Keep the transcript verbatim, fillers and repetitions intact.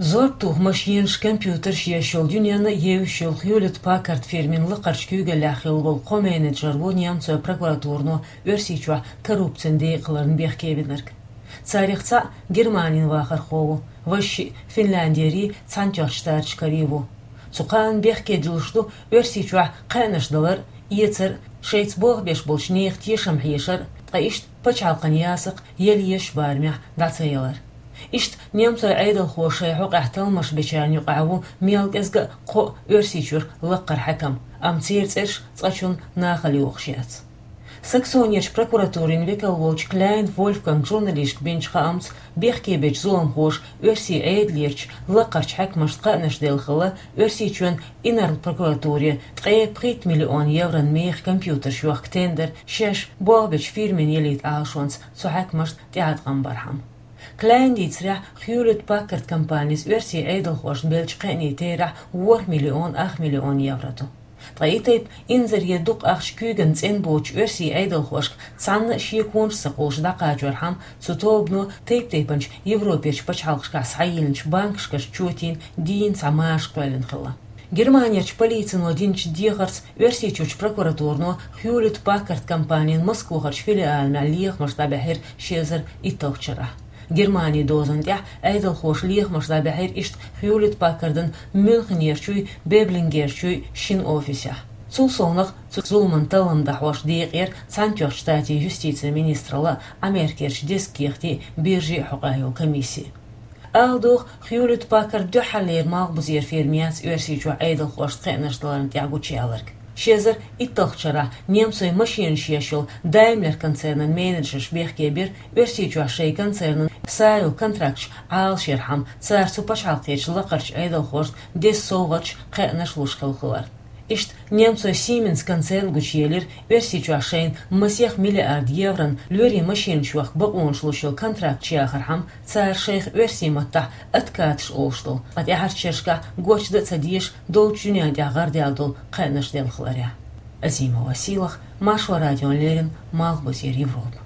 Зорбтух машенаш, компьютераш еш йолу дуьненна а евзаш йолу Хьюлетт Паккард фирмин лакхарчу куьйгаллехь хилла волу кхо менеджер ву немцойн прокуратуро Оьрсийчохь коррупцин декъаларна бехке бинарг. Царах цхьаъ Германин вахархо ву, важа шиъ Финляндерий, Цхьаьнатоьхначу Штаташ карий ву. Цу кхаанна бехке дуьллуш ду Оьрсийчохь кхаьънаш далар а, эцар а, шайца болх беш болчу нехан тешам хьешар а, ткъа иштта пачхьалкхан ясакх яла езачу барамехь дӀа ца ялар. Иштта немцойн Ӏедалхоша шайн хьокъехь талламаш бечарна юкъахь ву мел кӀезга а кхо а Оьрсийчуьра лакхара хьаькам, амма церан цӀераш цкъачунна нахала йохуш яц. Саксонерчу прокуратурин векал волчу Кляйн Вольфганг журналисташка бинчу хаамца, бехке бечу зуламхоша оьрсийн Ӏедалерчу лакхарчу хьаькамашца кхаънаш делла хилла Оьрсийчоьнан инарла прокуратуре ткъе пхийтта миллион еврон мехах компьютерш йохка тендер шаьш болх бечу фирмина ялийта Ӏалашонца цу хьаькамашна тӀеӀаткъам бархьама. Кляйна дийцарехь, Хьюлетт Паккард компанис оьрсийн Ӏедалхошна беллачу кхаьънийн терахь ворхӀ миллион ах миллион евро ду. Ткъа и тайпа инзаре дукха ахча куьйгана цӀена боцучу оьрсийн Ӏедалхошка цхьанна а шеконаш а ца кхуллуш дӀакхачорхьама, цу тобано тайп-тайпанчу Европерчу пачхьалкхашкахь схьайиллинчу банкашкарчу чотийн дийна цхьа маша кхоьллина хилла. Германерчу полицино динчу дехарца, Оьрсийчуьрчу прокуратуро Хьюлетт Паккард компанин Москвахарчу филиална лехамаш дӀабаьхьира ши эзар итталгӀачу шарахь. Германин дозанна тӀехь Ӏедалхоша лехамаш дӀабаьхьира иштта Хьюлетт Паккардан Мюнхенерчуй, Беблингерчуй шина офисехь. Цул совнаха цу зуламан таллам дахьош декъера Цхьаьнатоьхначу Штатийн юстицин министралла а, Ӏамеркерчу дезткъа кехатийн биржин хьокъехь йолу комисси. Ала догӀу, Хьюлетт Паккард дуьххьарлера малхбузера фирма яц Оьрсийчохь Ӏедалхошна кхаьънаш даларна тӀехь гучуяларг. Ши эзар итталгӀачу шарахь немцойн машенаш еш йолу Даймлер концернан менеджерш бехке бира Оьрсийчохь шайн концернан са йолу контракташ Ӏалашъярхьама, цара цу пачхьалкхерчу лакхарчу Ӏедалхошна деза совгӀаташ, кхаьънаш луш хилла хилар. Иштта немцойн Siemens концерн гучуелира Оьрсийчохь шайна масех миллиард еврон лоьрийн машенаш йохка бакъонаш луш йолу контракташ яхархьама, цара шайх оьрсийн маттахь откаташ олуш долу, ткъа тӀаьхьарчу шерашкахь гочдан а ца дезаш, долчу дуьненна тӀехь гӀардаьлла долу кхаьънаш делла хиларехь. Азимова Сийлаха, Маршо радиона леррина, Малхбузера Европа.